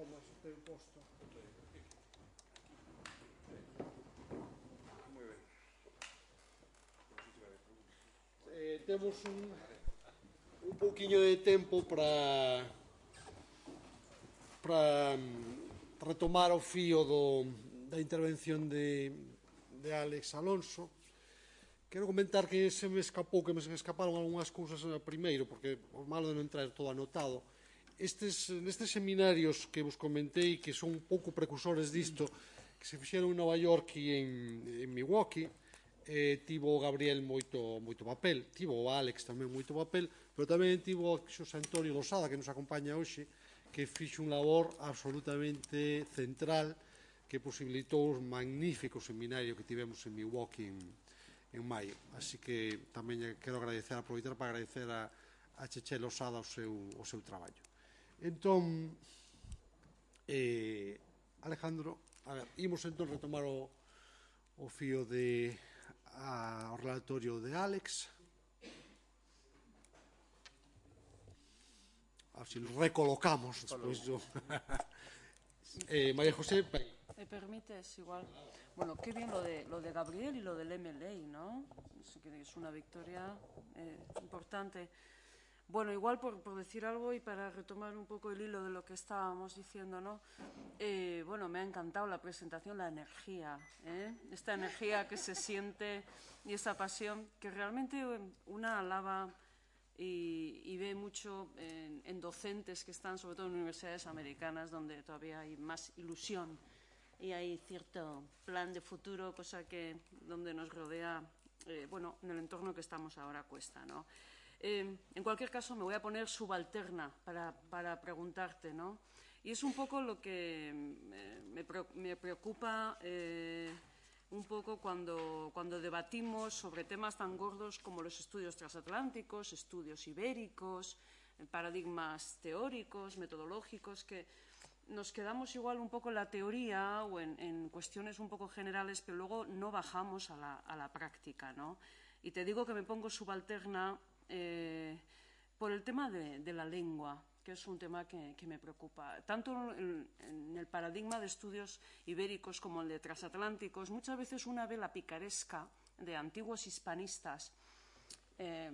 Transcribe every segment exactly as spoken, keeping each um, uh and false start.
tomas o teu posto. Moi ben. Eh, temos un, un pouquiño de tempo para para retomar o fío do, da intervención de, de Alex Alonso. Quero comentar que se me escapou, que me escaparon algunhas cousas primeiro, porque o malo de non traer todo anotado. Estes, nestes seminarios que vos comentei, que son un pouco precursores disto, que se fixeron en Nova York e en, en Milwaukee, eh, tivo o Gabriel moito, moito papel, tivo o Alex tamén moito papel, pero tamén tivo o Xosé Antonio Losada, que nos acompaña hoxe, que fixo un labor absolutamente central, que posibilitou un magnífico seminario que tivemos en Milwaukee en, en maio. Así que tamén quero agradecer, aproveitar para agradecer a, a Cheche Losada o seu, o seu traballo. Entón, eh, Alejandro, a ver, imos entón retomar o, o fío de a, o relatorio de Alex. A ver se lo recolocamos despois do... eh, María José... ¿Me permites igual? Bueno, qué bien lo de, lo de Gabriel y lo del M L A, ¿no? Es una victoria eh, importante. Bueno, igual por, por decir algo y para retomar un poco el hilo de lo que estábamos diciendo, ¿no? Eh, bueno, me ha encantado la presentación, la energía, ¿eh? Esta energía que se siente y esa pasión que realmente una alaba y, y ve mucho en, en docentes que están, sobre todo en universidades americanas, donde todavía hay más ilusión y hay cierto plan de futuro, cosa que donde nos rodea, eh, bueno, en el entorno que estamos ahora cuesta, ¿no? Eh, en cualquier caso, me voy a poner subalterna para, para preguntarte, ¿no? Y es un poco lo que me, me preocupa eh, un poco cuando, cuando debatimos sobre temas tan gordos como los estudios transatlánticos, estudios ibéricos, paradigmas teóricos, metodológicos, que nos quedamos igual un poco en la teoría o en, en cuestiones un poco generales, pero luego no bajamos a la, a la práctica, ¿no? Y te digo que me pongo subalterna eh, por el tema de, de la lengua, que es un tema que, que me preocupa. Tanto en, en el paradigma de estudios ibéricos como el de transatlánticos, muchas veces una ve la picaresca de antiguos hispanistas eh,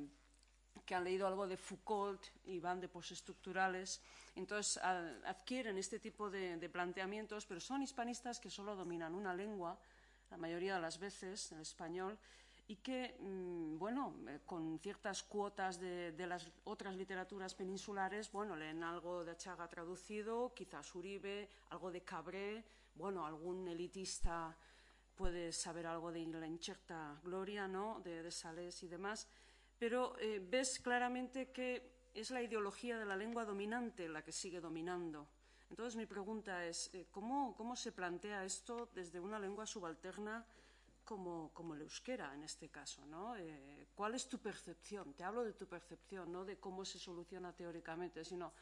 que han leído algo de Foucault y van de postestructurales, entonces adquieren este tipo de, de planteamientos, pero son hispanistas que solo dominan una lengua, la mayoría de las veces, el español, y que, bueno, con ciertas cuotas de, de las otras literaturas peninsulares, bueno, leen algo de Achaga traducido, quizás Uribe, algo de Cabré, bueno, algún elitista puede saber algo de la incierta gloria, ¿no?, de, de Salés y demás, pero eh, ves claramente que es la ideología de la lengua dominante la que sigue dominando. Entonces, mi pregunta es, eh, ¿cómo, ¿cómo se plantea esto desde una lengua subalterna como, como el euskera, en este caso, ¿no? Eh, ¿Cuál es tu percepción? Te hablo de tu percepción, no de cómo se soluciona teóricamente, sino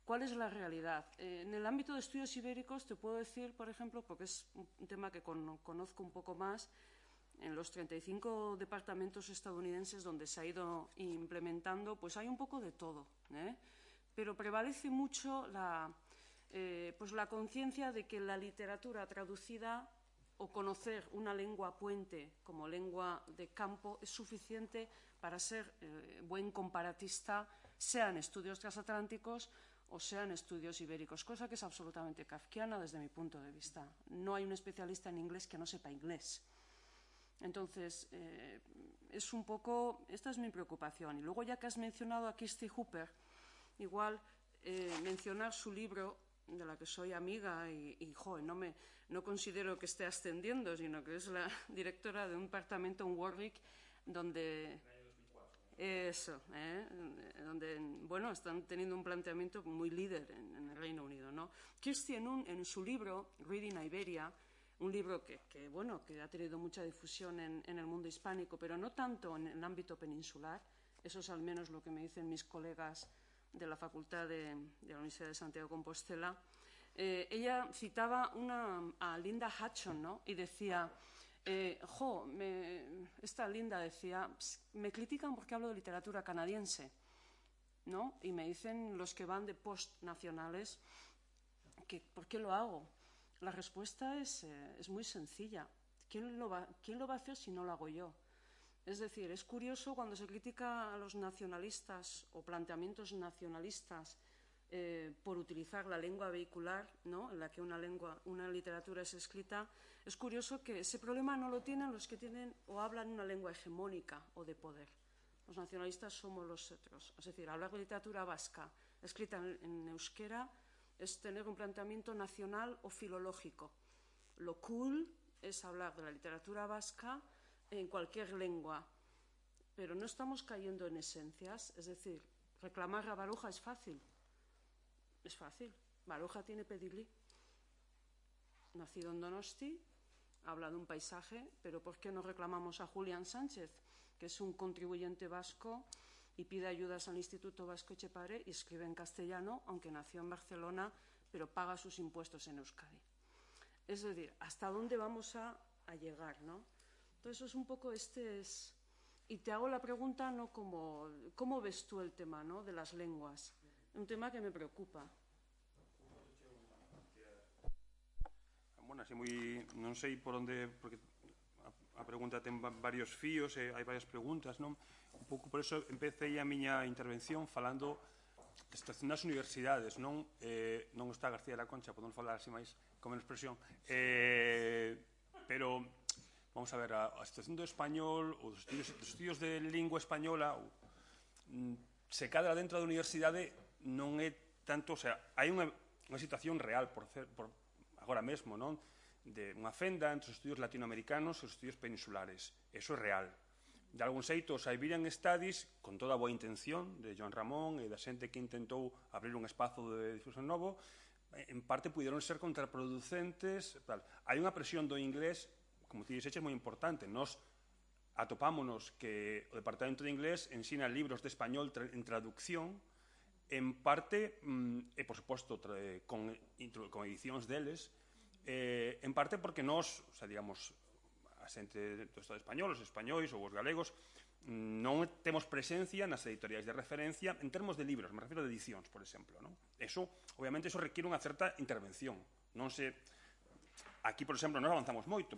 cuál es la realidad. Eh, en el ámbito de estudios ibéricos te puedo decir, por ejemplo, porque es un tema que con, conozco un poco más, en los treinta y cinco departamentos estadounidenses donde se ha ido implementando, pues hay un poco de todo, ¿eh? Pero prevalece mucho la, eh, pues la conciencia de que la literatura traducida o conocer una lengua puente como lengua de campo es suficiente para ser eh, buen comparatista, sea en estudios transatlánticos o sea en estudios ibéricos, cosa que es absolutamente kafkiana desde mi punto de vista. No hay un especialista en inglés que no sepa inglés. Entonces, eh, es un poco, esta es mi preocupación. Y luego, ya que has mencionado a Kirsty Hooper, igual eh, mencionar su libro, de la que soy amiga y, y joder, no, me, no considero que esté ascendiendo, sino que es la directora de un departamento en Warwick, donde... Eso, ¿eh? Donde, bueno, están teniendo un planteamiento muy líder en, en el Reino Unido, ¿no? Kirsty, en, un, en su libro, Reading Iberia, un libro que, que, bueno, que ha tenido mucha difusión en, en el mundo hispánico, pero no tanto en el ámbito peninsular, eso es al menos lo que me dicen mis colegas de la Facultad de, de la Universidad de Santiago de Compostela. Eh, ella citaba una, a Linda Hudson, ¿no?, y decía, eh, jo, me, esta Linda decía, me critican porque hablo de literatura canadiense, ¿no? Y me dicen los que van de post-nacionales qué, ¿por qué lo hago? La respuesta es, eh, es muy sencilla. ¿Quién lo, va, ¿Quién lo va a hacer si no lo hago yo? Es decir, es curioso cuando se critica a los nacionalistas o planteamientos nacionalistas eh, por utilizar la lengua vehicular, ¿no?, en la que una, lengua, una literatura es escrita, es curioso que ese problema no lo tienen los que tienen o hablan una lengua hegemónica o de poder. Los nacionalistas somos los otros. Es decir, hablar de literatura vasca escrita en, en euskera es tener un planteamiento nacional o filológico. Lo cool es hablar de la literatura vasca en cualquier lengua, pero no estamos cayendo en esencias. Es decir, reclamar a Baroja es fácil. Es fácil. Baroja tiene pedigrí. Nacido en Donosti, habla de un paisaje, pero ¿por qué no reclamamos a Julián Sánchez, que es un contribuyente vasco y pide ayudas al Instituto Vasco Etxepare y escribe en castellano, aunque nació en Barcelona, pero paga sus impuestos en Euskadi? Es decir, ¿hasta dónde vamos a, a llegar, ¿no? Entonces, es un poco este es... Y te hago la pregunta, no como, ¿cómo ves tú el tema, ¿no?, de las lenguas? Un tema que me preocupa. Bueno, así moi, non sei por onde, porque a, a pregunta ten varios fíos, e hai varias preguntas, non? Un pouco por eso empecé a miña intervención falando da situación das universidades, non? Eh, non está García de la Concha, podemos falar así máis con menos presión, eh, pero vamos a ver, a, a situación do español ou dos estudios, dos estudios de lingua española ou, mm, se cadra dentro da universidade non é tanto, o sea, hai unha, unha situación real por, cer, por agora mesmo, non?, de unha fenda entre os estudios latinoamericanos e os estudios peninsulares. Eso é real. De algún xeito, os Iberian Studies, con toda a boa intención de Joan Ramón e da xente que intentou abrir un espazo de difusión novo, en parte puderon ser contraproducentes. Tal. Hai unha presión do inglés, como ti dixeches, moi importante. Nos atopámonos que o Departamento de Inglés ensina libros de español tra en traducción, en parte, mm, e por suposto con, con edicións deles, eh, en parte porque nós, o sea, digamos, a xente do Estado español, os españois ou os galegos, non temos presencia nas editoriais de referencia en termos de libros, me refiro a edicións, por exemplo, non? Eso, obviamente, eso requiere unha certa intervención. Non se... Aquí, por exemplo, nós avanzamos moito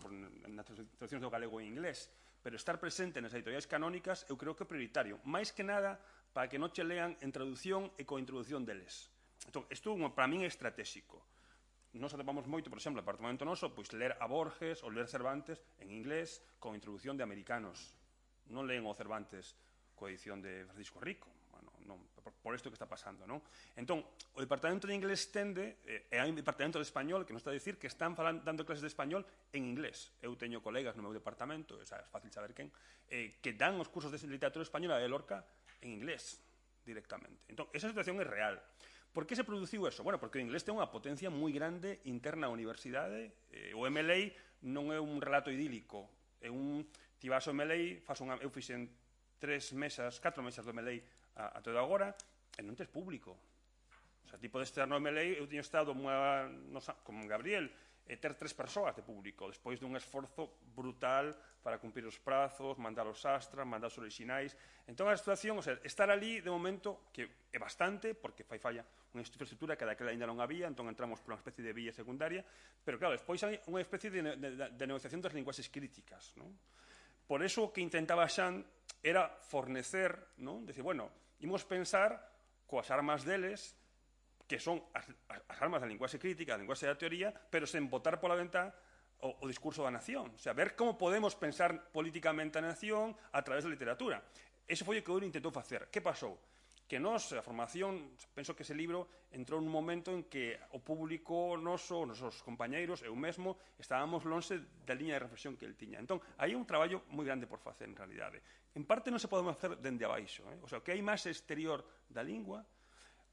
nas traduccións do galego e inglés, pero estar presente nas editoriais canónicas eu creo que é prioritario. Mais que nada, para que non che lean en traducción e coa introducción deles. Entón, isto para min é estratégico. Nos atopamos moito, por exemplo, no apartamento noso, pois ler a Borges ou ler Cervantes en inglés con introducción de americanos. Non leen o Cervantes coa edición de Francisco Rico. Bueno, non, por, por isto que está pasando, non? Entón, o Departamento de Inglés tende, eh, e hai un Departamento de Español que nos está a dicir que están falan, dando clases de español en inglés. Eu teño colegas no meu departamento, é fácil saber quen, eh, que dan os cursos de literatura española de Lorca en inglés directamente. Entón, esa situación é real. Por que se produciu eso? Bueno, porque o inglés ten unha potencia moi grande interna á universidade. Eh, o M L A non é un relato idílico. É un... Ti vas ao M L A, faz unha, eu fixen tres mesas, catro mesas do M L A a, a todo agora, e non tes público. O sea, ti podes estar no M L A, eu teño estado unha, no, como Gabriel, e ter tres persoas de público, despois dun esforzo brutal para cumprir os prazos, mandar os astras, mandar os orixinais. Entón, a situación, o sea, estar ali, de momento, que é bastante, porque fai falla unha infraestructura que daquela ainda non había, entón entramos por unha especie de vía secundaria, pero, claro, despois hai unha especie de, de, de negociación das linguaxes críticas, non? Por eso o que intentaba Xan era fornecer, non? Decir, bueno, imos pensar coas armas deles, que son as, as armas da linguaxe crítica, da linguaxe da teoría, pero sen botar pola ventá o, o discurso da nación. O sea, ver como podemos pensar políticamente a nación a través da literatura. Eso foi o que Ouro intentou facer. Que pasou? Que nós, a formación, penso que ese libro entrou nun momento en que o público noso, os nosos compañeiros, eu mesmo, estábamos lonxe da liña de reflexión que el tiña. Entón, hai un traballo moi grande por facer, en realidade. En parte non se podemos facer dende abaixo. Eh? O sea, o que hai máis exterior da lingua,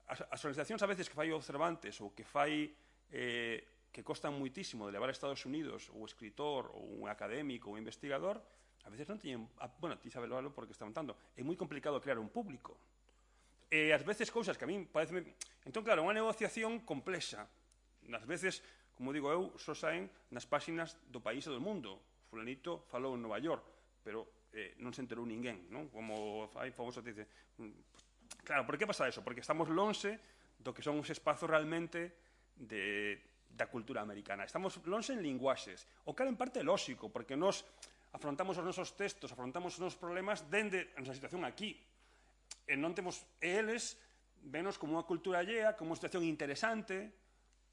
as, as organizacións a veces que fai o Cervantes ou que fai eh, que costan moitísimo de levar a Estados Unidos o escritor ou un académico ou un investigador, a veces non teñen, bueno, ti sabes lo porque está montando, é moi complicado crear un público. E ás veces cousas que a min parece... Entón, claro, unha negociación complexa. Nas veces, como digo eu, só saen nas páxinas do país e do mundo. Fulanito falou en Nova York, pero eh, non se enterou ninguén, non? Como hai famoso te dice... Claro, por que pasa eso? Porque estamos lonxe do que son os espazos realmente de, da cultura americana. Estamos lonxe en linguaxes, o cal en parte é lóxico, porque nos afrontamos os nosos textos, afrontamos os nosos problemas dende a nosa situación aquí. E non temos, e eles venos como unha cultura allea, como unha situación interesante,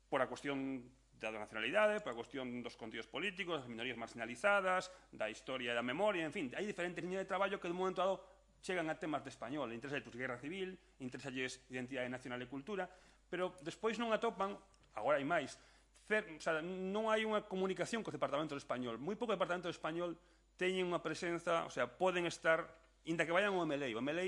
por a cuestión da nacionalidade, por a cuestión dos contidos políticos, das minorías marginalizadas, da historia e da memoria, en fin, hai diferentes líneas de traballo que de un momento dado chegan a temas de español, interesa pues, guerra civil, interesa identidade nacional e cultura, pero despois non atopan, agora hai máis, cer, o sea, non hai unha comunicación co Departamento de Español. Moi pouco Departamento de Español teñen unha presenza, o sea, poden estar, inda que vayan ao M L A. O M L A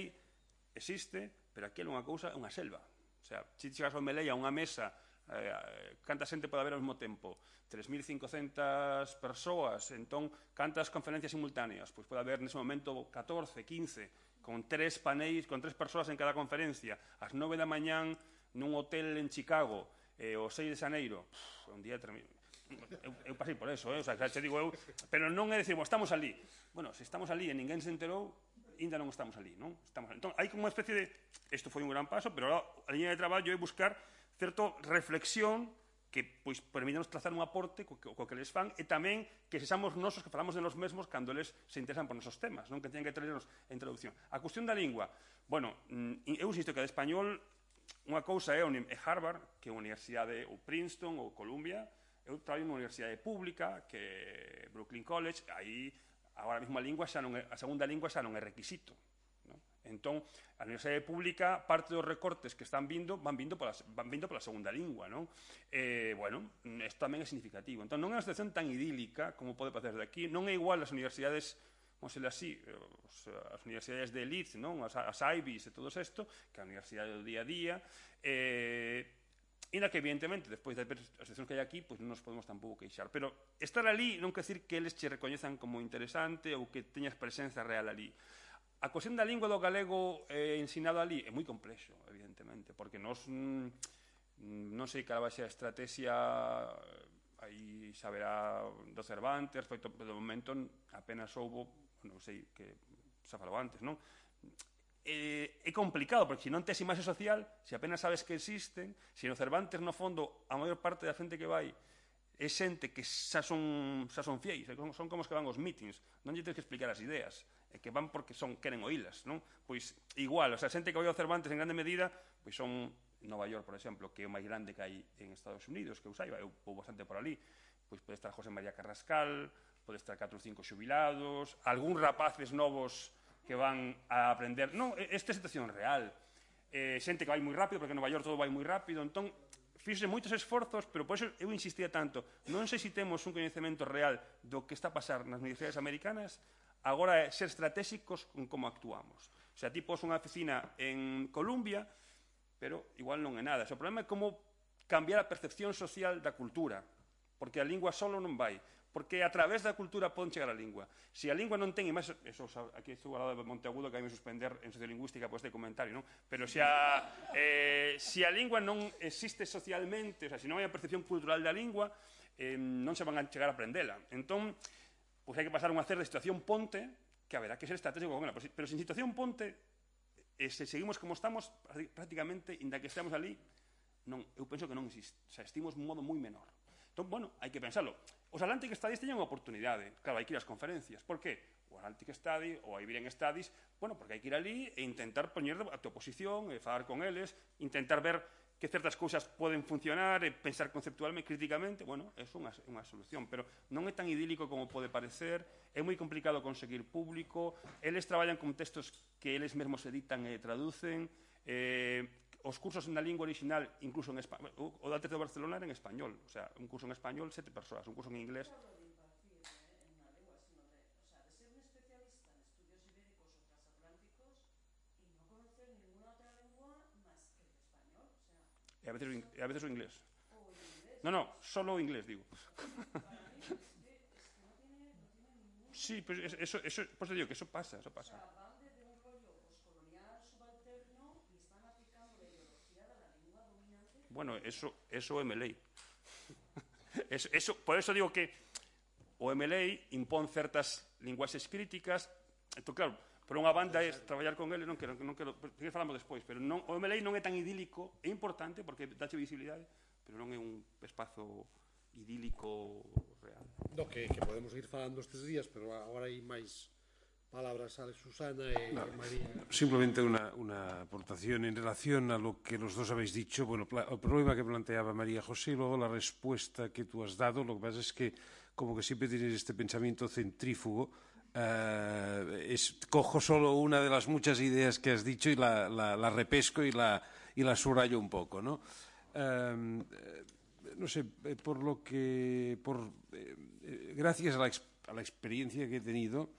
existe, pero aquí é unha cousa, é unha selva. O sea, se chegas ao M L A a unha mesa, eh, canta xente pode haber ao mesmo tempo? tres mil cincocentas persoas, entón, cantas conferencias simultáneas? Pois pode haber nese momento catorce, quince, con tres paneis, con tres persoas en cada conferencia, ás nove da mañán nun hotel en Chicago, eh, o seis de xaneiro, pff, un día termino. Eu, eu pasei por eso, eh? O sea, xa digo eu, pero non é dicir, bueno, estamos ali. Bueno, se estamos ali e ninguén se enterou, ainda non estamos ali, non? Estamos ali. Entón, hai como unha especie de, isto foi un gran paso, pero a liña de traballo é buscar certa reflexión que pois, permítanos trazar un aporte co que, co que les fan e tamén que sexamos nosos que falamos de nos mesmos cando eles se interesan por nosos temas, non que teñan que traernos a introducción. A cuestión da lingua, bueno, eu insisto que de español unha cousa é Harvard, que é unha universidade, ou Princeton, ou Columbia. Eu traballo nunha universidade pública, que é Brooklyn College, aí agora mesmo a lingua xa non é, a segunda lingua xa non é requisito. Entón, a universidade pública, parte dos recortes que están vindo, van vindo pola, van vindo pola segunda lingua, non? Eh, bueno, isto tamén é significativo. Entón, non é unha situación tan idílica como pode parecer de aquí, non é igual as universidades, vamos a ser así, as universidades de elite, non? As, as Ivies e todo isto, que a universidade do día a día, eh, e na que, evidentemente, despois das situacións que hai aquí, pois non nos podemos tampouco queixar. Pero estar ali non quer decir que eles che recoñezan como interesante ou que teñas presenza real ali. A cuestión da lingua do galego eh, ensinado ali é moi complexo, evidentemente, porque nos mm, non sei cal vai ser a estrategia, aí saberá do Cervantes, respecto, do momento apenas houbo, non sei, que xa falou antes, non? É, é complicado, porque se non tes imaxe social, se apenas sabes que existen, se no Cervantes, no fondo, a maior parte da xente que vai é xente que xa son, xa son fieis, son como os que van aos meetings, non lle tens que explicar as ideas, é que van porque son queren oílas, non? Pois igual, o sea, xente que vai ao Cervantes en grande medida, pois son Nova York, por exemplo, que é o máis grande que hai en Estados Unidos, que eu saiba, eu vou bastante por ali, pois pode estar José María Carrascal, pode estar catro ou cinco xubilados, algúns rapaces novos que van a aprender, non, esta é a situación real, eh, xente que vai moi rápido, porque en Nova York todo vai moi rápido, entón, fíxose moitos esforzos, pero por eso eu insistía tanto, non sei se temos un coñecemento real do que está a pasar nas universidades americanas, agora é ser estratégicos con como actuamos. O sea, ti pos unha oficina en Columbia, pero igual non é nada. O problema é como cambiar a percepción social da cultura, porque a lingua solo non vai, porque a través da cultura poden chegar a lingua. Se a lingua non ten, e máis, eso, aquí estou ao lado de Monteagudo, que hai me suspender en sociolingüística por este comentario, non? Pero se a, eh, se a lingua non existe socialmente, o sea, se non hai a percepción cultural da lingua, eh, non se van a chegar a aprendela. Entón, pois hai que pasar unha certa situación ponte, que haberá que ser estratégico con ela, pero se en situación ponte, e se seguimos como estamos, prácticamente, inda que estemos ali, non, eu penso que non existe. O sea, estimos un modo moi menor. Entón, bueno, hai que pensarlo. Os Atlantic Studies teñen unha oportunidade. Claro, hai que ir ás conferencias. Por qué? O Atlantic Study ou a Iberian Studies, bueno, porque hai que ir ali e intentar poñer a tua posición, e falar con eles, intentar ver que certas cousas poden funcionar, e pensar conceptualmente, críticamente, bueno, é unha, unha solución, pero non é tan idílico como pode parecer, é moi complicado conseguir público, eles traballan con textos que eles mesmos editan e traducen, eh, os cursos na lingua original, incluso en español, o da T E D de Barcelona era en español, o sea, un curso en español, sete persoas, un curso en inglés. E a veces, e a veces o inglés. No, no, solo o inglés, digo. Sí, pues eso, eso, pues te digo que eso pasa, eso pasa. Bueno, eso, eso é M L A. eso, eso, por eso digo que o M L A impón certas linguaxes críticas. Entón, claro, por unha banda é traballar con ele, non quero, non quero, porque falamos despois, pero non, o M L A non é tan idílico, é importante porque dache visibilidade, pero non é un espazo idílico real. No, que, que podemos ir falando estes días, pero agora hai máis palabras a Susana e no, María. Simplemente una, una aportación en relación a lo que los dos habéis dicho. Bueno, el problema que planteaba María José y luego la respuesta que tú has dado, lo que pasa es que como que siempre tienes este pensamiento centrífugo. Uh, es, cojo solo una de las muchas ideas que has dicho y la, la, la repesco y la, y la subrayo un poco, ¿no? Uh, no sé, por lo que, por, eh, gracias a la, a la experiencia que he tenido,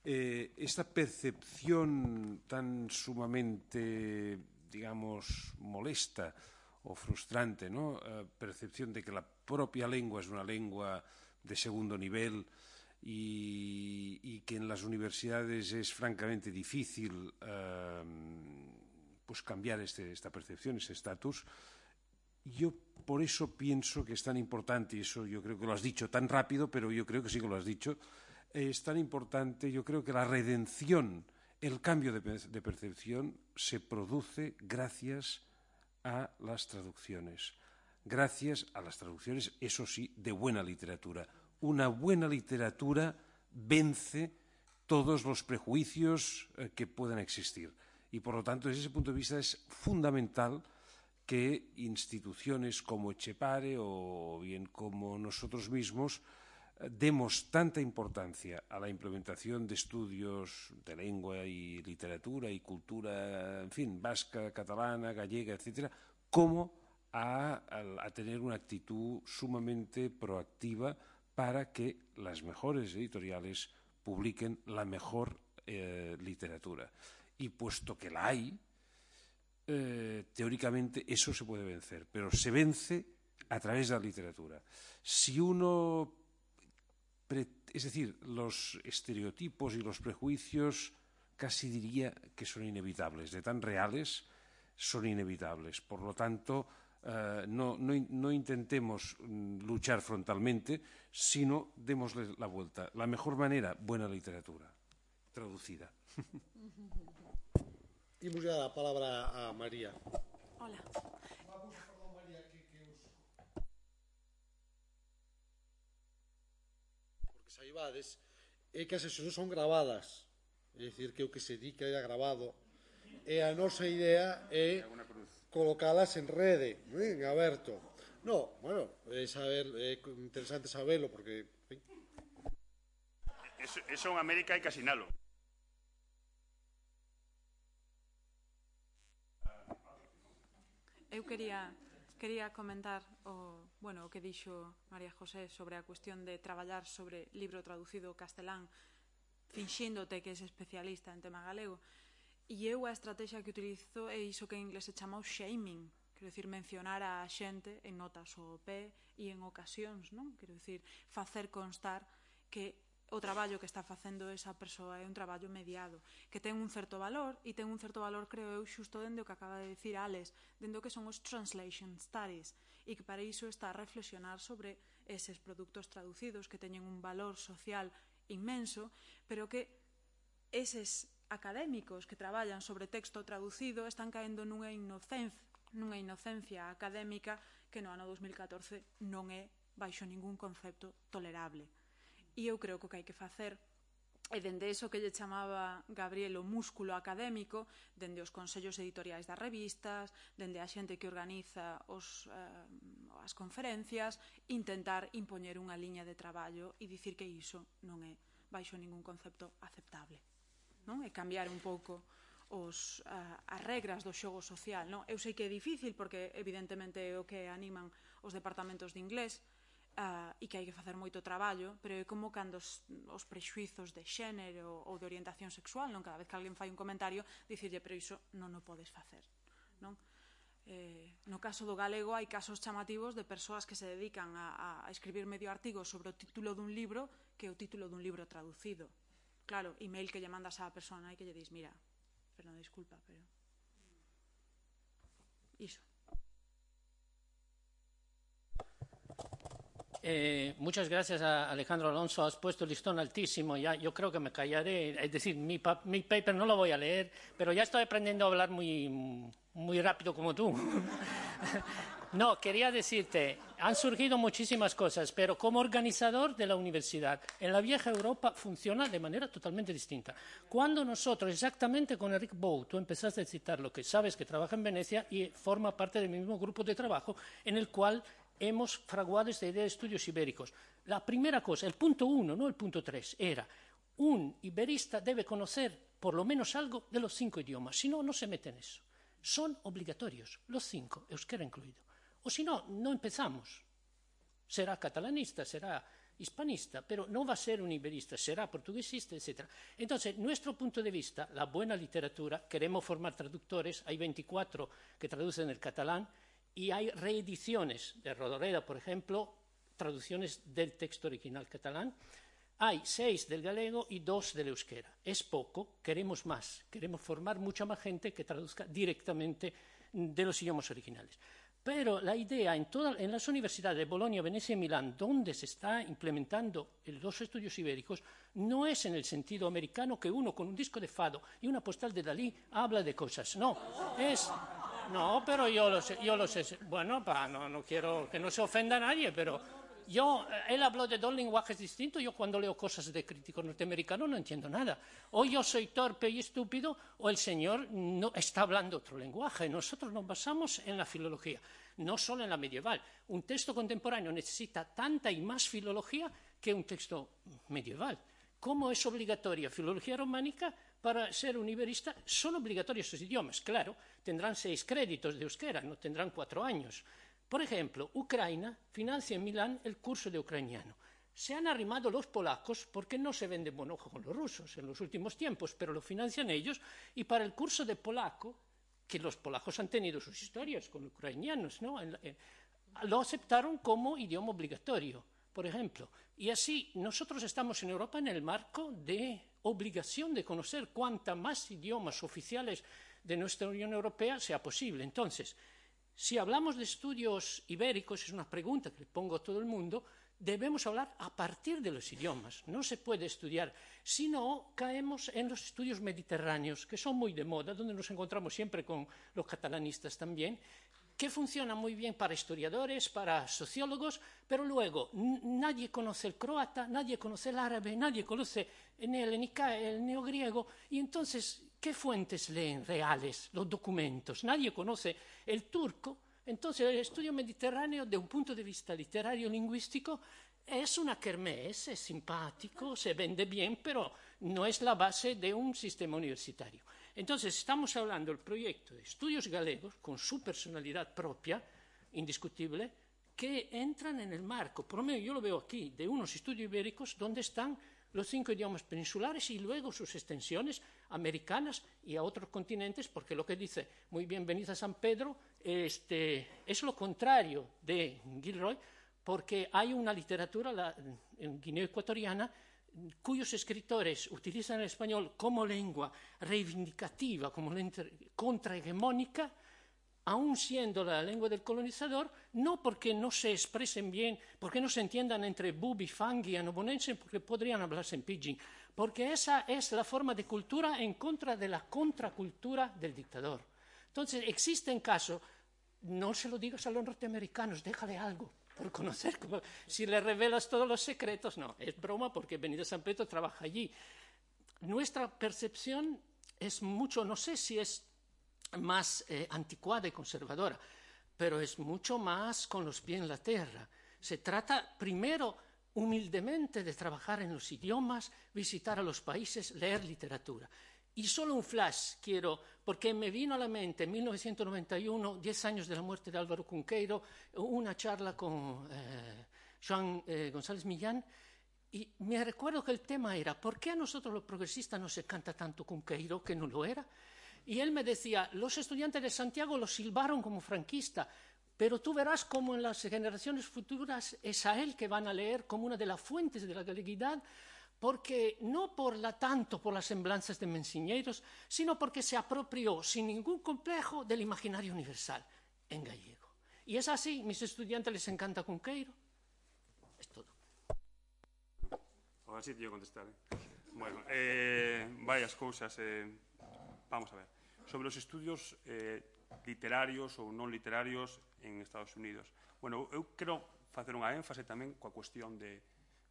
eh, esta percepción tan sumamente, digamos, molesta o frustrante, ¿no? Uh, percepción de que la propia lengua es una lengua de segundo nivel y, y que en las universidades es francamente difícil uh, pues cambiar este, esta percepción, este estatus. Yo por eso pienso que es tan importante, y eso yo creo que lo has dicho tan rápido, pero yo creo que sí que lo has dicho, eh, es tan importante, yo creo que la redención, el cambio de, de percepción se produce gracias a las traducciones. Gracias a las traducciones, eso sí, de buena literatura. Una buena literatura vence todos los prejuicios eh, que puedan existir. Y, por lo tanto, desde ese punto de vista es fundamental que instituciones como Etxepare o bien como nosotros mismos eh, demos tanta importancia a la implementación de estudios de lengua y literatura y cultura, en fin, vasca, catalana, gallega, etcétera, como A, a, a tener una actitud sumamente proactiva para que las mejores editoriales publiquen la mejor eh, literatura. Y puesto que la hay, eh, teóricamente eso se puede vencer, pero se vence a través de la literatura. Si uno, es decir, los estereotipos y los prejuicios casi diría que son inevitables, de tan reales son inevitables. Por lo tanto, Uh, no, no, no intentemos luchar frontalmente, sino démosle la vuelta. La mejor manera, buena literatura, traducida. Imos ya a palabra a María. Hola. Vamos, perdón, María, que, que os... Porque saibades é que as sesións son gravadas, é dicir, que o que se di que era grabado, e a nosa idea é colocalas en rede, en aberto. No, bueno, é saber, é interesante saberlo, porque... Eso, eso en América hai que asinalo. Eu quería, quería comentar o, bueno, o que dixo María José sobre a cuestión de traballar sobre libro traducido castelán, finxíndote que és especialista en tema galego. E eu a estrategia que utilizo é iso que en inglés se chama o shaming, quero dicir, mencionar a xente en notas ao pé e en ocasións, non? Quero dicir, facer constar que o traballo que está facendo esa persoa é un traballo mediado, que ten un certo valor, e ten un certo valor, creo eu, xusto dende o que acaba de dicir Alex, dende o que son os translation studies, e que para iso está a reflexionar sobre eses produtos traducidos que teñen un valor social inmenso, pero que eses académicos que traballan sobre texto traducido están caendo nunha inocencia, nunha inocencia académica que no ano dos mil catorce non é baixo ningún concepto tolerable. E eu creo que o que hai que facer é dende eso que lle chamaba Gabriel o músculo académico, dende os consellos editoriais das revistas, dende a xente que organiza os, eh, as conferencias, intentar impoñer unha liña de traballo e dicir que iso non é baixo ningún concepto aceptable. Non? E cambiar un pouco os, uh, as regras do xogo social. Non? Eu sei que é difícil porque evidentemente é o que animan os departamentos de inglés uh, e que hai que facer moito traballo, pero é como cando os, os prexuizos de xénero ou de orientación sexual, non? Cada vez que alguén fai un comentario, dicirlle, pero iso non o podes facer. Non? Eh, no caso do galego hai casos chamativos de persoas que se dedican a, a escribir medio artigo sobre o título dun libro que é o título dun libro traducido. Claro, email que lle mandas á persona e que lle dis, mira, perdón, disculpa, pero... Iso. Eh, muchas gracias a Alejandro Alonso, has puesto el listón altísimo, ya yo creo que me callaré, es decir, mi, pa mi paper no lo voy a leer, pero ya estoy aprendiendo a hablar muy, muy rápido como tú. No, quería decirte, han surgido muchísimas cosas, pero como organizador de la universidad, en la vieja Europa funciona de manera totalmente distinta. Cuando nosotros, exactamente con Enric Bou, tú empezaste a citar lo que sabes que trabaja en Venecia y forma parte del mismo grupo de trabajo en el cual hemos fraguado esta idea de estudios ibéricos. La primera cosa, el punto uno, no el punto tres, era un iberista debe conocer por lo menos algo de los cinco idiomas, si no, no se mete en eso. Son obligatorios, los cinco, euskera incluido. O si no, no empezamos. Será catalanista, será hispanista, pero no va a ser un iberista, será portuguesista, etcétera. Entonces, nuestro punto de vista, la buena literatura, queremos formar traductores, hay veinticuatro que traducen el catalán y hay reediciones de Rodoreda, por ejemplo, traducciones del texto original catalán. Hay seis del galego y dos del euskera. Es poco, queremos más, queremos formar mucha más gente que traduzca directamente de los idiomas originales. Pero la idea en, toda, en las universidades de Bolonia, Venecia y Milán, donde se está implementando los estudios ibéricos, no es en el sentido americano que uno con un disco de fado y una postal de Dalí habla de cosas. No, es... No, pero yo lo sé, yo lo sé. Bueno, pa, no, no quiero que no se ofenda a nadie, pero... Yo, él habló de dos lenguajes distintos, yo cuando leo cosas de críticos norteamericanos no entiendo nada. O yo soy torpe y estúpido, o el señor no está hablando otro lenguaje. Nosotros nos basamos en la filología, no solo en la medieval. Un texto contemporáneo necesita tanta y más filología que un texto medieval. ¿Cómo es obligatoria filología románica? Para ser un iberista son obligatorios esos idiomas. Claro, tendrán seis créditos de euskera, no tendrán cuatro años. Por ejemplo, Ucrania financia en Milán el curso de ucraniano. Se han arrimado los polacos porque no se vende buen ojo con los rusos en los últimos tiempos, pero lo financian ellos y para el curso de polaco, que los polacos han tenido sus historias con ucranianos, ¿no? Lo aceptaron como idioma obligatorio, por ejemplo. Y así nosotros estamos en Europa en el marco de obligación de conocer cuanta más idiomas oficiales de nuestra Unión Europea sea posible. Entonces, si hablamos de estudios ibéricos, es una pregunta que le pongo a todo el mundo, debemos hablar a partir de los idiomas. No se puede estudiar, si no caemos en los estudios mediterráneos, que son muy de moda, donde nos encontramos siempre con los catalanistas también, que funcionan muy bien para historiadores, para sociólogos, pero luego nadie conoce el croata, nadie conoce el árabe, nadie conoce el helenica, el neogriego, y entonces... ¿Qué fuentes leen reales los documentos? Nadie conoce el turco. Entonces, el estudio mediterráneo, de un punto de vista literario-lingüístico, es una kermés, es simpático, se vende bien, pero no es la base de un sistema universitario. Entonces, estamos hablando del proyecto de estudios galegos, con su personalidad propia, indiscutible, que entran en el marco, por lo menos yo lo veo aquí, de unos estudios ibéricos donde están los cinco idiomas peninsulares y luego sus extensiones americanas y a otros continentes, porque lo que dice muy bien Benito San Pedro este, es lo contrario de Gilroy, porque hay una literatura la, en Guinea Ecuatoriana cuyos escritores utilizan el español como lengua reivindicativa, como lengua contrahegemónica, aun siendo la lengua del colonizador, no porque no se expresen bien, porque no se entiendan entre Bubi, Fangui y Annobonense, porque podrían hablarse en pidgin, porque esa es la forma de cultura en contra de la contracultura del dictador. Entonces, existen casos, no se lo digas a los norteamericanos, déjale algo por conocer, como, si le revelas todos los secretos, no, es broma porque Benito San Pedro trabaja allí. Nuestra percepción es mucho, no sé si es más eh, anticuada y conservadora, pero es mucho más con los pies en la tierra. Se trata primero humildemente de trabajar en los idiomas, visitar a los países, leer literatura. Y solo un flash quiero, porque me vino a la mente en mil novecientos noventa y uno, diez años de la muerte de Álvaro Cunqueiro, una charla con eh, Joan eh, González Millán, y me recuerdo que el tema era ¿por qué a nosotros los progresistas nos encanta tanto Cunqueiro, que no lo era? Y él me decía, los estudiantes de Santiago lo silbaron como franquista, pero tú verás cómo en las generaciones futuras es a él que van a leer como una de las fuentes de la galeguidad, porque no por la, tanto por las semblanzas de Menciñeiros, sino porque se apropió sin ningún complejo del imaginario universal en gallego. Y es así, mis estudiantes les encanta Cunqueiro. Es todo. Ahora sí te yo contestar. ¿eh? Bueno, eh, varias cosas. Eh, vamos a ver. Sobre los estudios, eh, literarios ou non literarios en Estados Unidos. Bueno, eu quero facer unha énfase tamén coa cuestión de,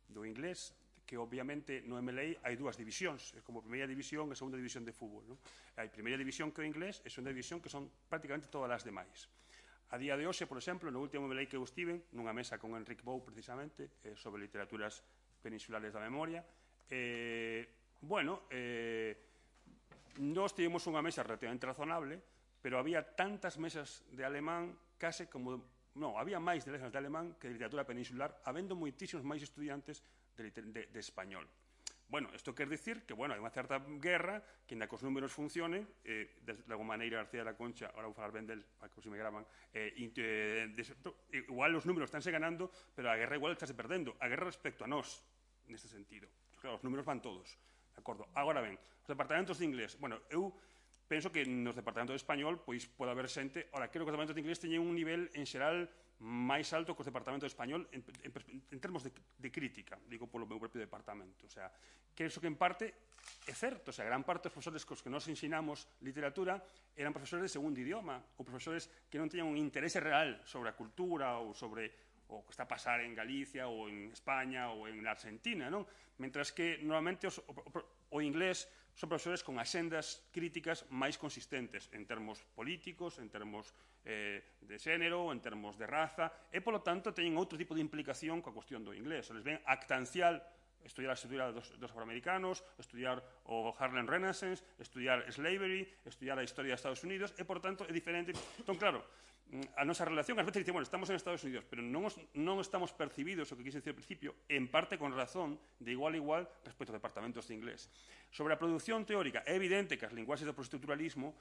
do inglés, que obviamente no M L A hai dúas divisións, é como primeira división e segunda división de fútbol, non? Hai primeira división que é o inglés e segunda división que son prácticamente todas as demais. A día de hoxe, por exemplo, no último M L A que eu estive, nunha mesa con Enric Bou, precisamente, eh, sobre literaturas peninsulares da memoria, eh, bueno, eh, nós tivemos unha mesa relativamente razonable, pero había tantas mesas de alemán case como... Non, había máis de mesas de alemán que de literatura peninsular, habendo moitísimos máis estudiantes de, de, de español. Bueno, isto quer dicir que, bueno, hai unha certa guerra que, ainda que os números funcionen, eh, de, de alguma maneira García de la Concha, ahora vou falar ben del, para que os me graban, eh, eh, de, igual os números estánse ganando, pero a guerra igual estáse perdendo. A guerra respecto a nós, neste sentido. Claro, os números van todos, de acordo? Agora ben, os departamentos de inglés, bueno, eu penso que nos departamentos de español pois pode haber xente, ora, creo que os departamentos de inglés teñen un nivel en xeral máis alto que os departamentos de español en, en, en termos de, de crítica, digo polo meu propio departamento, o sea, que iso que en parte é certo, o sea, gran parte dos profesores cos que nos ensinamos literatura eran profesores de segundo idioma, ou profesores que non teñan un interese real sobre a cultura ou sobre o que está a pasar en Galicia ou en España ou en Argentina, non? Mentras que normalmente os, o, o inglés son profesores con axendas críticas máis consistentes en termos políticos, en termos eh, de xénero, en termos de raza, e, polo tanto, teñen outro tipo de implicación coa cuestión do inglés. Les ven actancial estudiar a estrutura dos, dos afroamericanos, estudiar o Harlem Renaissance, estudiar slavery, estudiar a historia de Estados Unidos, e, por tanto, é diferente. Entón, claro, a nosa relación, ás veces dice, bueno, estamos en Estados Unidos, pero non, os, non estamos percibidos, o que quise decir ao principio, en parte con razón, de igual a igual, respecto aos departamentos de inglés. Sobre a produción teórica, é evidente que as linguaxes do postestructuralismo,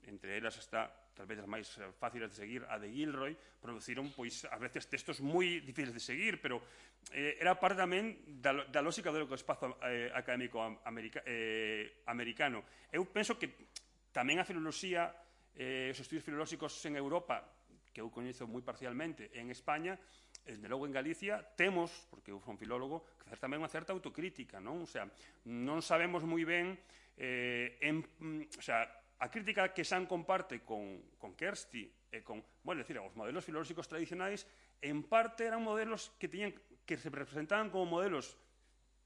entre elas está, tal vez as máis fáciles de seguir, a de Gilroy, produciron, pois, a veces textos moi difíciles de seguir, pero eh, era parte tamén da, da lógica do espazo eh, académico america, eh, americano. Eu penso que tamén a filoloxía, Eh, os estudios filolóxicos en Europa, que eu coñezo moi parcialmente, en España, desde logo en Galicia, temos, porque eu son filólogo, que facer tamén unha certa autocrítica, non? O sea, non sabemos moi ben, eh, en, o sea, a crítica que San comparte con, con Kersti, e con, bueno, decir, os modelos filolóxicos tradicionais, en parte eran modelos que teñan, que se representaban como modelos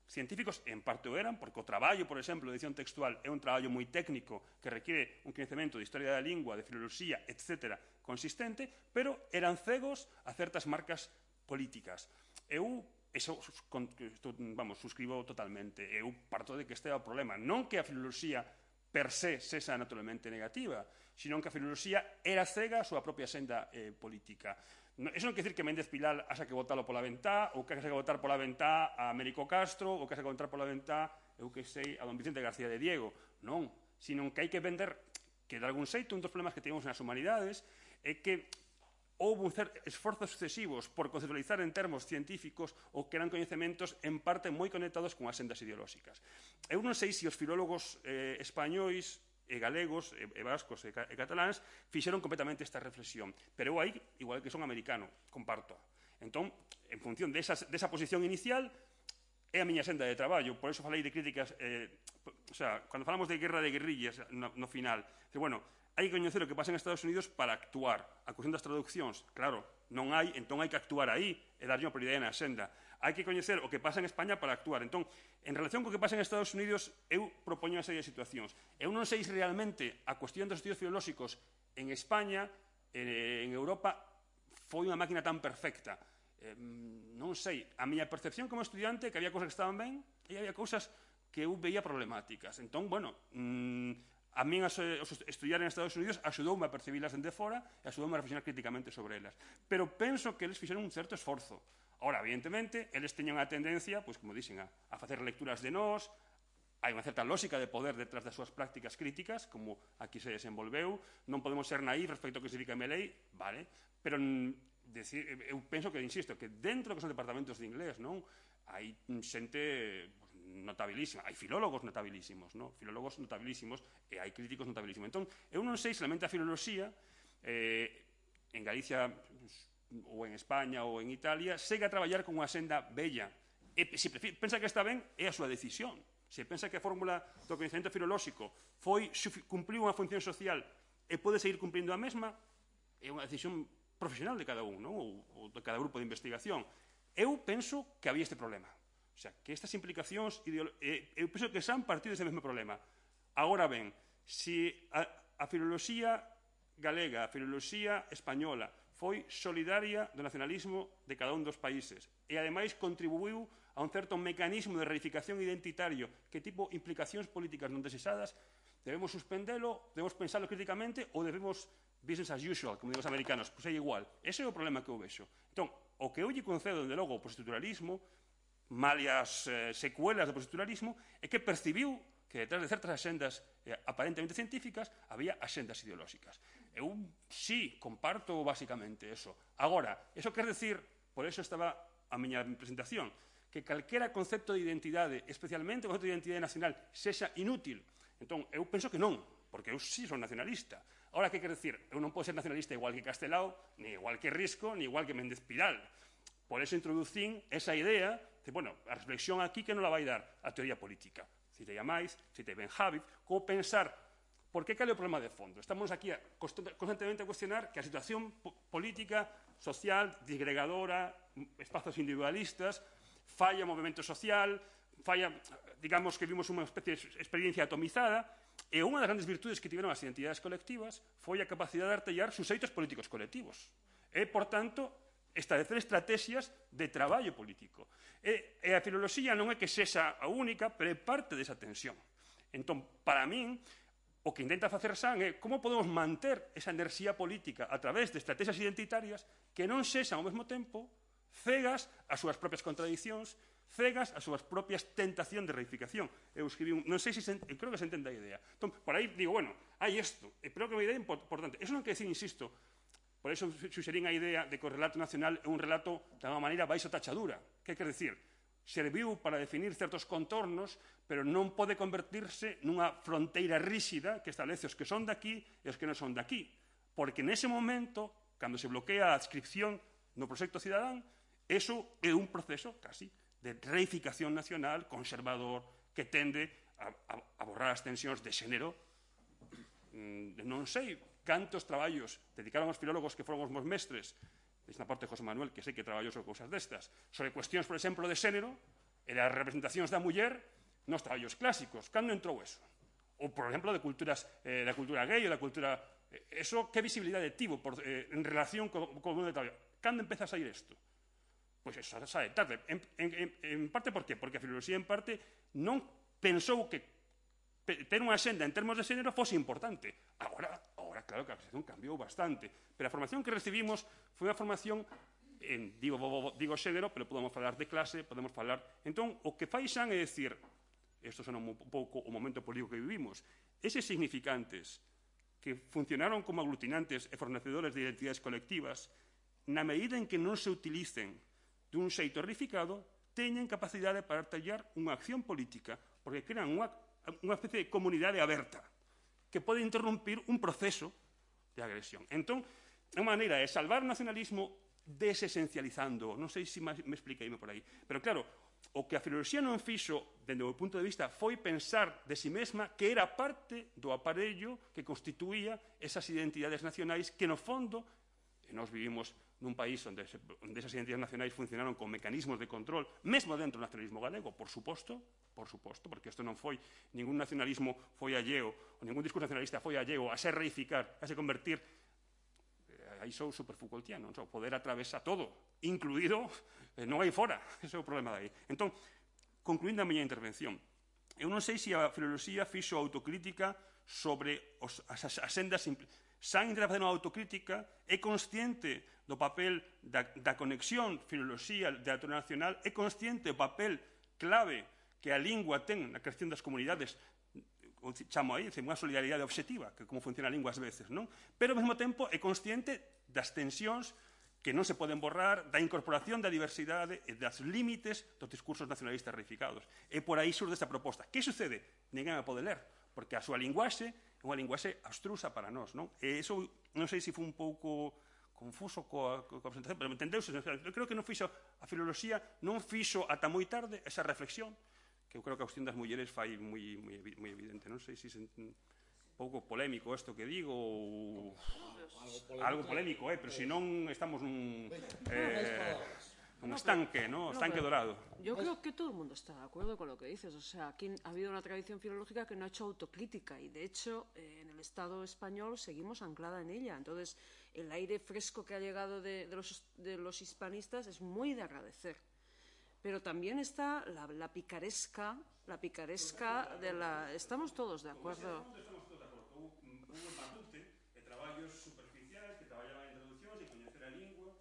científicos, en parte o eran, porque o traballo, por exemplo, de edición textual é un traballo moi técnico que requiere un coñecemento de historia da lingua, de filoloxía, etcétera, consistente, pero eran cegos a certas marcas políticas. Eu, eso, vamos, suscribo totalmente. Eu parto de que este é o problema. Non que a filoloxía per se sexa naturalmente negativa, sino que a filoloxía era cega a súa propia senda eh, política. Eso non quer dicir que Méndez Pilar haxa que votalo pola ventá, ou que haxa que votar pola ventá a Américo Castro, ou que haxa que votar pola ventá, eu que sei, a don Vicente García de Diego. Non, sino que hai que vender que, de algún xeito, un dos problemas que temos nas humanidades é que houve un certo esforzos sucesivos por conceptualizar en termos científicos ou que eran coñecementos en parte moi conectados con as sendas ideolóxicas. Eu non sei se os filólogos eh, españois e galegos, e, e vascos e, e cataláns fixeron completamente esta reflexión, pero eu aí, igual que son americano, comparto. Entón, en función desa, desa posición inicial, é a miña senda de traballo, por eso falei de críticas, eh, o sea, cando falamos de guerra de guerrillas no, no final, que, bueno, hai que coñecer o que pasa en Estados Unidos para actuar. A cuestión das traduccións, claro, non hai, entón hai que actuar aí e darlle unha prioridade na senda. Hai que coñecer o que pasa en España para actuar. Entón, en relación co que pasa en Estados Unidos, eu propoño unha serie de situacións. Eu non sei se realmente a cuestión dos estudios filolóxicos en España, en Europa, foi unha máquina tan perfecta. Eh, non sei. A miña percepción como estudiante que había cousas que estaban ben e había cousas que eu veía problemáticas. Entón, bueno, mmm, a min as, os estudiar en Estados Unidos axudoume a percibilas dende fora e axudoume a reflexionar críticamente sobre elas. Pero penso que eles fixeron un certo esforzo. Ora, evidentemente, eles teñen a tendencia, pois, como dixen, a, a facer lecturas de nós, hai unha certa lógica de poder detrás das súas prácticas críticas, como aquí se desenvolveu, non podemos ser naíf respecto ao que significa M L A, vale, pero decir, eu penso que, insisto, que dentro que son departamentos de inglés, non, hai xente notabilísima, hai filólogos notabilísimos, non? Filólogos notabilísimos e hai críticos notabilísimos. Entón, eu non sei se lamenta a filoloxía, eh, en Galicia ou en España ou en Italia, segue a traballar con unha senda bella. E se pensa que está ben, é a súa decisión. Se pensa que a fórmula do coñecemento filolóxico foi, cumpliu unha función social e pode seguir cumprindo a mesma, é unha decisión profesional de cada un, non? Ou, ou de cada grupo de investigación. Eu penso que había este problema. O sea, que estas implicacións, eh, eu penso que son partido dese mesmo problema. Agora ben, se a, a filoloxía galega, a filoloxía española, foi solidaria do nacionalismo de cada un dos países e, ademais, contribuiu a un certo mecanismo de reificación identitario que tipo implicacións políticas non deseadas, debemos suspendelo, debemos pensarlo críticamente ou debemos business as usual, como digo os americanos, pois é igual. Ese é o problema que eu vexo. Entón, o que eu lle concedo, dende logo, o postestructuralismo, malias eh, secuelas do postestructuralismo, é que percibiu que detrás de certas axendas eh, aparentemente científicas había axendas ideolóxicas. Eu sí, comparto basicamente eso. Agora, eso quer decir, por eso estaba a miña presentación, que calquera concepto de identidade, especialmente o concepto de identidade nacional, sexa inútil. Entón, eu penso que non, porque eu sí son nacionalista. Agora, que quer decir? Eu non podo ser nacionalista igual que Castelao, ni igual que Risco, ni igual que Méndez Pidal. Por eso introducín esa idea de, bueno, a reflexión aquí que non la vai dar a teoría política. Citei a máis, citei Ben Habib, como pensar por que cal é o problema de fondo. Estamos aquí a, constantemente a cuestionar que a situación política, social, disgregadora, espazos individualistas, falla o movimento social, falla, digamos que vimos unha especie de experiencia atomizada, e unha das grandes virtudes que tiveron as identidades colectivas foi a capacidade de artellar suxeitos políticos colectivos. E, por tanto, establecer estrategias de traballo político. E, e a filoloxía non é que sexa a única, pero é parte desa tensión. Entón, para min, o que intenta facer San é como podemos manter esa enerxía política a través de estrategias identitarias que non sexan ao mesmo tempo cegas ás súas propias contradicións, cegas ás súas propias tentación de reificación. Eu escribí un, non sei se, eu creo que se entende a idea. Entón, por aí digo, bueno, hai isto, e creo que é unha idea importante. Eso non quer decir, insisto, por eso suxerín a idea de que o relato nacional é un relato de alguma maneira baixo tachadura. Que quer decir? Serviu para definir certos contornos, pero non pode convertirse nunha fronteira ríxida que establece os que son daqui e os que non son daqui. Porque nese momento, cando se bloquea a adscripción no proxecto cidadán, eso é un proceso casi de reificación nacional conservador que tende a, a, a borrar as tensións de xénero. Mm, non sei cantos traballos dedicaron aos filólogos que foron os meus mestres, desde a parte de José Manuel, que sei que traballou sobre cousas destas, sobre cuestións, por exemplo, de xénero e das representacións da muller nos traballos clásicos. Cando entrou eso? Ou, por exemplo, de culturas, eh, da cultura gay ou da cultura... Eh, eso, que visibilidade tivo por, eh, en relación co, co mundo de traballo? Cando empeza a sair isto? Pois eso sabe tarde. En, en, en parte, por qué? Porque a filoloxía, en parte, non pensou que ter unha xenda en termos de xénero fose importante. Agora, agora claro que a situación cambiou bastante. Pero a formación que recibimos foi unha formación, en, digo, digo xénero, pero podemos falar de clase, podemos falar... Entón, o que fai Xan é dicir, isto son un pouco o momento político que vivimos, eses significantes que funcionaron como aglutinantes e fornecedores de identidades colectivas, na medida en que non se utilicen dun xeito reificado, teñen capacidade para artellar unha acción política, porque crean unha, unha especie de comunidade aberta que pode interrumpir un proceso de agresión. Entón, unha maneira é salvar o nacionalismo desesencializando. Non sei se me expliqueime por aí. Pero, claro, o que a filoloxía non fixo, dende o meu punto de vista, foi pensar de si mesma que era parte do aparello que constituía esas identidades nacionais que, no fondo, e nós vivimos nun país onde, se, onde esas identidades nacionais funcionaron con mecanismos de control, mesmo dentro do nacionalismo galego, por suposto, por suposto, porque isto non foi, ningún nacionalismo foi alleo, ou ningún discurso nacionalista foi alleo a se reificar, a se convertir, eh, aí sou superfoucaultiano, non? O poder atravesa todo, incluído, eh, non hai fora, ese é o problema dai. Entón, concluindo a miña intervención, eu non sei se a filoloxía fixo autocrítica sobre os, as, as asendas simples. San intenta facer unha autocrítica, é consciente do papel da, da conexión filoloxía de teatro nacional, é consciente do papel clave que a lingua ten na creación das comunidades, o chamo aí, unha solidaridade obxectiva, que como funciona a lingua ás veces, non? Pero ao mesmo tempo é consciente das tensións que non se poden borrar, da incorporación da diversidade e das límites dos discursos nacionalistas reificados. E por aí surde esta proposta. Que sucede? Ninguén a pode ler, porque a súa linguaxe é unha linguaxe abstrusa para nós, non? E iso, non sei se foi un pouco confuso coa, coa presentación, pero entendeuse. Eu creo que non fixo, a filoloxía non fixo ata moi tarde esa reflexión, que eu creo que a cuestión das mulleres fai moi, moi, moi evidente, non sei se... se un pouco polémico isto que digo, ou... Algo polémico, eh, pero se non estamos nun... Eh, un estanque, ¿no? Estanque dorado. Yo creo que todo el mundo está de acuerdo con lo que dices. O sea, aquí ha habido una tradición filológica que no ha hecho autocrítica y, de hecho, eh, en el Estado español seguimos anclada en ella. Entonces, el aire fresco que ha llegado de, de, los, de los hispanistas es muy de agradecer. Pero también está la, la picaresca, la picaresca de la... Estamos todos de acuerdo. Estamos todos de acordo. Hubo un batute de traballos superficiais que traballaban en traduccións e coñecer a lingua.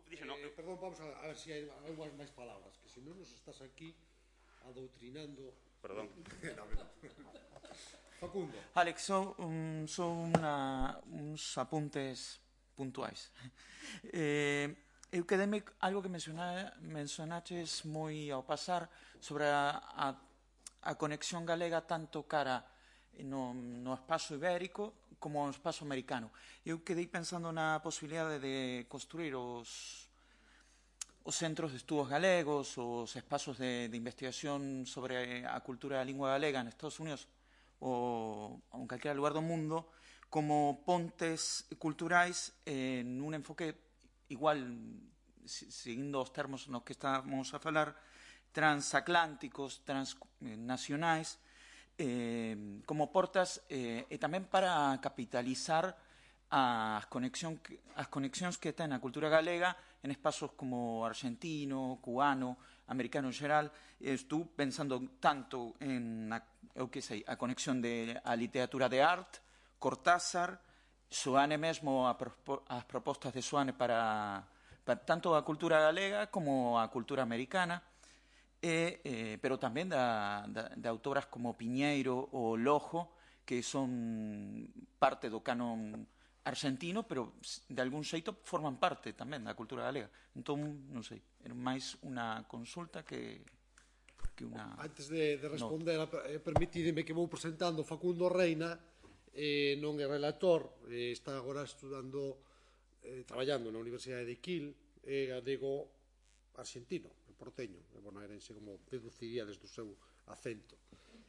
Dice, no. eh, perdón, vamos a, a ver se si hai algunhas máis palabras, que se non nos estás aquí adoutrinando. Perdón. No, no. Facundo. Alex, son, um, son una, uns apuntes puntuais. Eh, eu quedeme algo que menciona, mencionaches moi ao pasar sobre a, a, a conexión galega tanto cara no, no espazo ibérico como no espazo americano. Eu quedei pensando na posibilidade de construir os, os centros de estudos galegos, os espazos de, de investigación sobre a cultura da lingua galega en Estados Unidos ou en calquera lugar do mundo como pontes culturais en un enfoque igual, seguindo os termos nos que estamos a falar, transatlánticos, transnacionais, eh, como portas eh, e tamén para capitalizar as, conexión, as conexións que ten a cultura galega en espazos como argentino, cubano, americano en xeral. Estou pensando tanto en a, eu que sei, a conexión de a literatura de arte, Cortázar, Soane mesmo, a, as propostas de Soane para, para tanto a cultura galega como a cultura americana. E, eh, pero tamén da, da, de autoras como Piñeiro ou Lojo, que son parte do canon argentino, pero de algún xeito forman parte tamén da cultura galega. Entón, non sei, é máis unha consulta que, que unha... Antes de, de responder, no. eh, permitideme que vou presentando Facundo Reina, eh, non é relator, eh, está agora estudando, eh, traballando na Universidade de Kiel, é galego argentino, porteño, bonaerense, como deduciría desde o seu acento.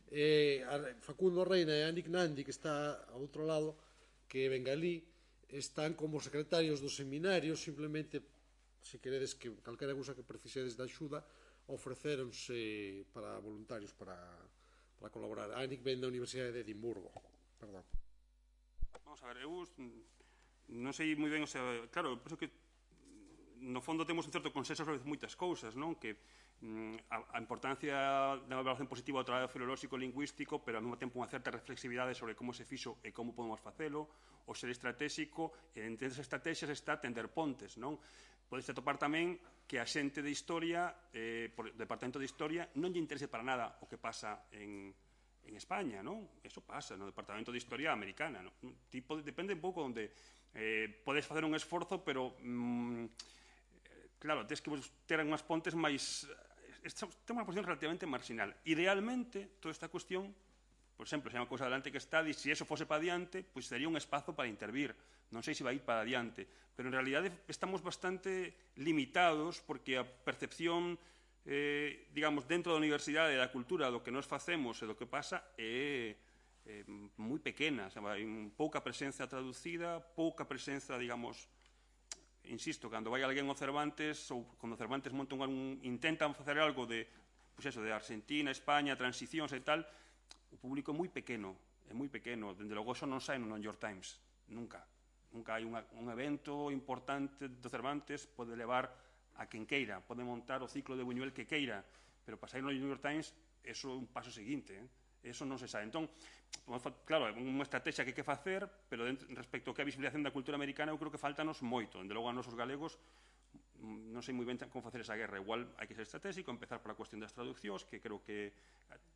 Eh, Facundo Reina e Anik Nandi, que está ao outro lado, que é bengalí, están como secretarios do seminario, simplemente, se queredes que calquera cousa que precisedes de axuda, ofrecéronse para voluntarios para, para colaborar. Anik ven da Universidade de Edimburgo. Perdón. Vamos a ver, eu non sei moi ben, o sea, claro, penso que no fondo temos un certo consenso sobre moitas cousas, non? Que mm, a, a importancia da evaluación positiva do traballo filolóxico e lingüístico, pero ao mesmo tempo unha certa reflexividade sobre como se fixo e como podemos facelo, o ser estratégico, e entre esas estrategias está tender pontes, non? Podes atopar tamén que a xente de historia, eh, por o Departamento de Historia, non lle interese para nada o que pasa en, en España, non? Eso pasa no Departamento de Historia americana, non? Tipo, depende un pouco onde eh, podes facer un esforzo, pero... Mm, claro, tens que ter unhas pontes máis... Ten unha posición relativamente marginal. Idealmente, toda esta cuestión, por exemplo, se é unha cousa adelante que está, e se eso fose para adiante, pois sería un espazo para intervir. Non sei se vai ir para adiante. Pero, en realidade, estamos bastante limitados porque a percepción, eh, digamos, dentro da universidade, da cultura, do que nos facemos e do que pasa, é eh, moi pequena. O sea, hai pouca presenza traducida, pouca presenza, digamos... Insisto, cando vai alguén ao Cervantes ou cando o Cervantes monta un, intentan facer algo de, pois eso, de Argentina, España, transicións e tal, o público é moi pequeno, é moi pequeno, dende logo eso non sai no New York Times, nunca. Nunca hai unha, un evento importante do Cervantes, pode levar a quen queira, pode montar o ciclo de Buñuel que queira, pero para sair no New York Times, eso é un paso seguinte, eh? Eso non se sabe. Entón, claro, é unha estrategia que hai que facer, pero respecto ao que é a visibilización da cultura americana, eu creo que faltanos moito. Dende logo a nosos galegos, non sei moi ben como facer esa guerra. Igual hai que ser estratégico, empezar pola cuestión das traduccións, que creo que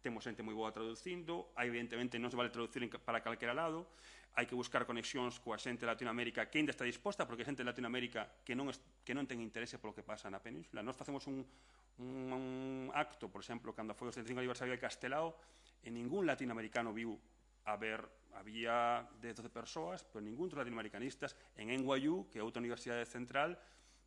temos xente moi boa traducindo. Hai, evidentemente, non se vale traducir para calquera lado. Hai que buscar conexións coa xente de Latinoamérica que ainda está disposta, porque a xente de Latinoamérica que non, que non ten interese polo que pasa na península. Nós facemos un, un, un acto, por exemplo, cando foi o setenta e cinco aniversario de Castelao, e ningún latinoamericano viu a ver, había dez, doce persoas, pero ningún dos latinoamericanistas. En N Y U, que é outra universidade central,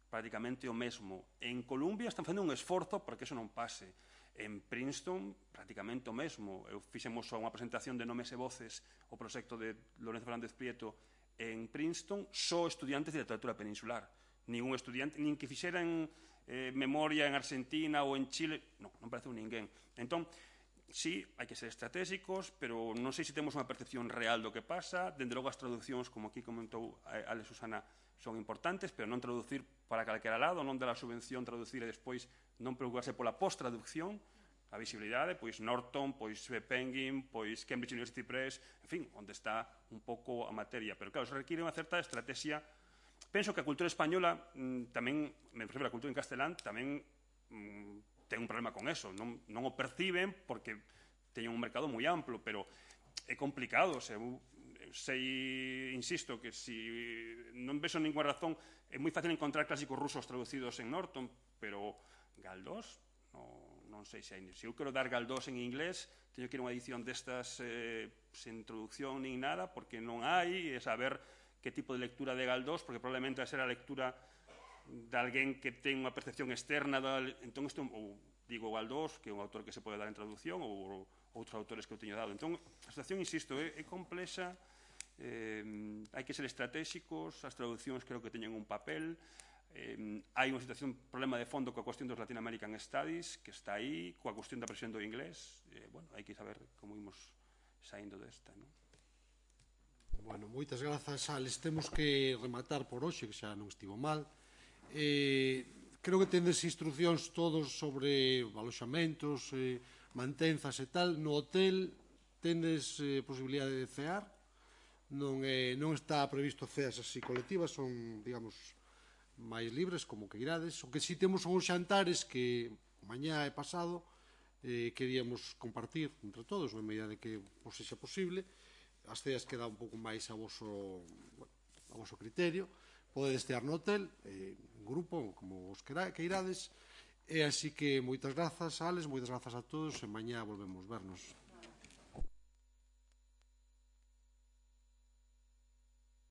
prácticamente o mesmo. En Columbia están facendo un esforzo para que eso non pase. En Princeton, prácticamente o mesmo. Eu fixemos unha presentación de Nomes e Voces, o proxecto de Lorenzo Fernández Prieto, en Princeton, só estudiantes de literatura peninsular. Ningún estudiante, nin que fixeran eh, memoria en Argentina ou en Chile, non, non pareceu ninguén. Entón, sí, hai que ser estratégicos, pero non sei se temos unha percepción real do que pasa. Dende logo as traduccións, como aquí comentou Ale Susana, son importantes, pero non traducir para calquera lado, non dar a subvención, traducir e despois non preocuparse pola post-traducción, a visibilidade, pois Norton, pois Penguin, pois Cambridge University Press, en fin, onde está un pouco a materia. Pero claro, se requiere unha certa estrategia. Penso que a cultura española mmm, tamén, me refiro a cultura en castelán, tamén mmm, ten un problema con eso. Non, non o perciben porque teñen un mercado moi amplo, pero é complicado. Se, sei, insisto, que si non vexo ninguna razón, é moi fácil encontrar clásicos rusos traducidos en Norton, pero Galdós, no, non sei se hai. Se eu quero dar Galdós en inglés, teño que ir a unha edición destas eh, sen introducción nin nada, porque non hai, é saber que tipo de lectura de Galdós, porque probablemente vai ser a lectura de alguén que ten unha percepción externa. Da, entón, isto, ou digo Galdós, que é un autor que se pode dar en traducción, ou outros autores que eu teño dado. Entón, a situación, insisto, é, é complexa. Eh, hai que ser estratégicos, as traduccións creo que teñen un papel. Eh, hai unha situación, un problema de fondo coa cuestión dos Latin American Studies, que está aí, coa cuestión da presión do inglés. Eh, bueno, hai que saber como imos saindo desta, non? Bueno, moitas grazas, Alex. Temos que rematar por hoxe, que xa non estivo mal. Eh, creo que tendes instruccións todos sobre aloxamentos, eh, mantenzas e tal. No hotel tendes eh, posibilidade de cear. Non, eh, non está previsto ceas así colectivas, son, digamos, máis libres, como que irades. O que si temos son os xantares que mañá e pasado eh, queríamos compartir entre todos, na medida de que vos sexa posible. As ceas queda un pouco máis a voso, bueno, a voso criterio. Podedes cear no hotel, eh, en grupo, como vos queirades. E así que moitas grazas, Alex, moitas grazas a todos, e mañá volvemos vernos.